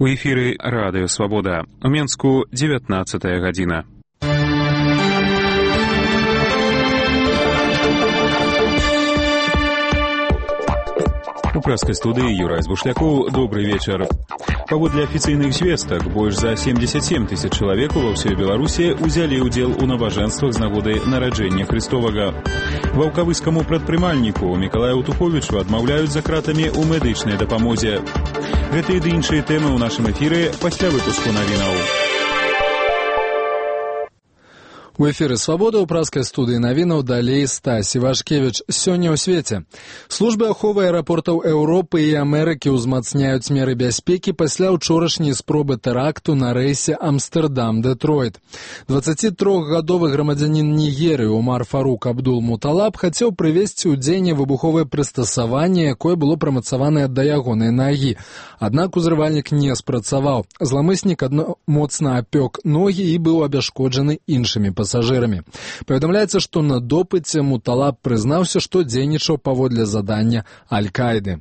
У эфіры Радыё Свабода. У Менску 19 гадзіна. У прэскай студыі Юрай Збушлякоў. Добрый вечар. Паводле афіцыйных звестак, больш за 77 тысяч чалавек ва ўсёй Беларусі ўзялі ўдзел у набажэнствах з нагоды нараджэння Христовага. Ваўкавыскаму прадпрымальніку Мікалаю Туховічу адмаўляюць за кратамі ў медычнай дапамозе. Гэтыя ды іншыя тэмы ў нашым эфіры пасля выпуску навінаў. У эфіры «Свабода» ў праскай студыі навінаў далей Стась Івашкевіч. Сёння ў свеце. Службы аховы аэрапортаў Еўропы і Амерыкі ўзмацняюць меры бяспекі пасля ўчорашняй спробы тэракту на рэйсе Амстэрдам-Дэтройт. 23-гадовы грамадзянін Нігерыі Умар Фарук Абдул-Муталаб хацеў прывезці ў дзеянне выбуховае прыстасаванне, якое было прымацаванае да ягонай нагі. Аднак узрывальнік не спрацаваў. Зламыснік моцна апёк ногі і быў абяшкоджаны іншымі пасажырамі. Паведамляецца, што на допыце Муталаб прызнаўся, што дзейнічаў паводле задання Аль-Каіды.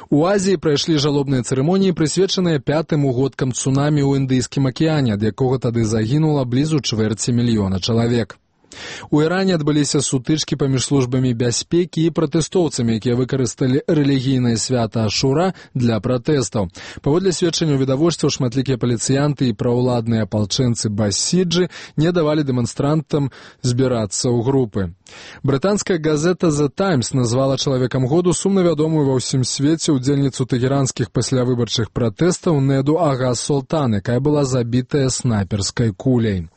У Азіі прайшлі жалобныя цырымоніі, прысвечаныя 5-м угодкам цунамі ў Індыйскім акіяне, ад якога тады загінула блізу чвэрці мільёна чалавек. У Іране адбыліся сутычкі паміж службамі бяспекі і пратэстоўцамі, якія выкарысталі рэлігійнае свята Ашура для пратэстаў. Паводле сведчанняў відавочцаў, шматлікія паліцыянты і праўладныя апалчэнцы Басіджы не давалі дэманстрантам збірацца ў групы. Брытанская газета The Times назвала чалавекам году сумна вядомую ва ўсім свеце удзельніцу тэгеранскіх паслявыбарчых пратэстаў Неду Ага Солтан, якая была забітая снайперскай куляй.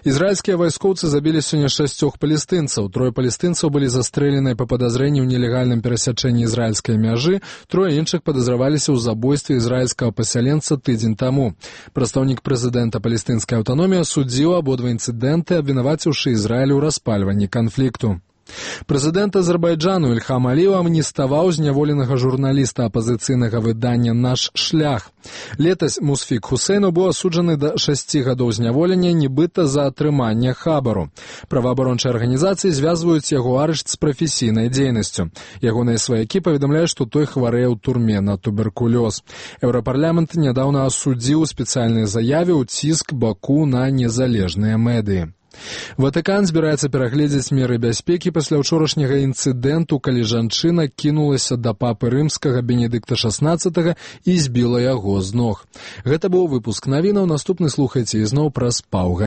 Ізраільскія вайскоўцы забілі сёння 6 палестынцаў. 3 палестынцаў былі застрэленыя па падазрэнні ў нелегальным перасячэнні ізраільскай мяжы, 3 іншых падазраваліся ў забойстве ізраільскага пасяленца тыдзень таму. Прадстаўнік прэзідэнта палестынскай аўтаноміі асудзіў абодва інцыдэнты, абвінаваціўшы Ізраіль у распальванні канфлікту. Прэзідэнт Азербайджану Ільхам Аліеў амніставаў зняволенага журналіста апазіцыйнага выдання «Наш шлях». Летась Мусфік Хусейну быў асуджаны да 6 гадоў зняволення, нібыта за атрыманне хабару. Праваабарончыя арганізацыі звязваюць яго арышт з прафесійнай дзейнасцю. Ягоныя сваякі паведамляюць, што той хварэе ў турме на туберкулёз. Еўрапарламент нядаўна асудзіў у спецыяльнай заяве ўціск Баку на незалежныя медыі. Ватыкан збіраецца перагледзець меры бяспекі пасля ўчорашняга інцыдэнту, калі жанчына кінулася да папы рымскага Бенедыкта XVI і збіла яго з ног. Гэта быў выпуск навінаў. Наступны слухайце ізноў праз паўгадзіны.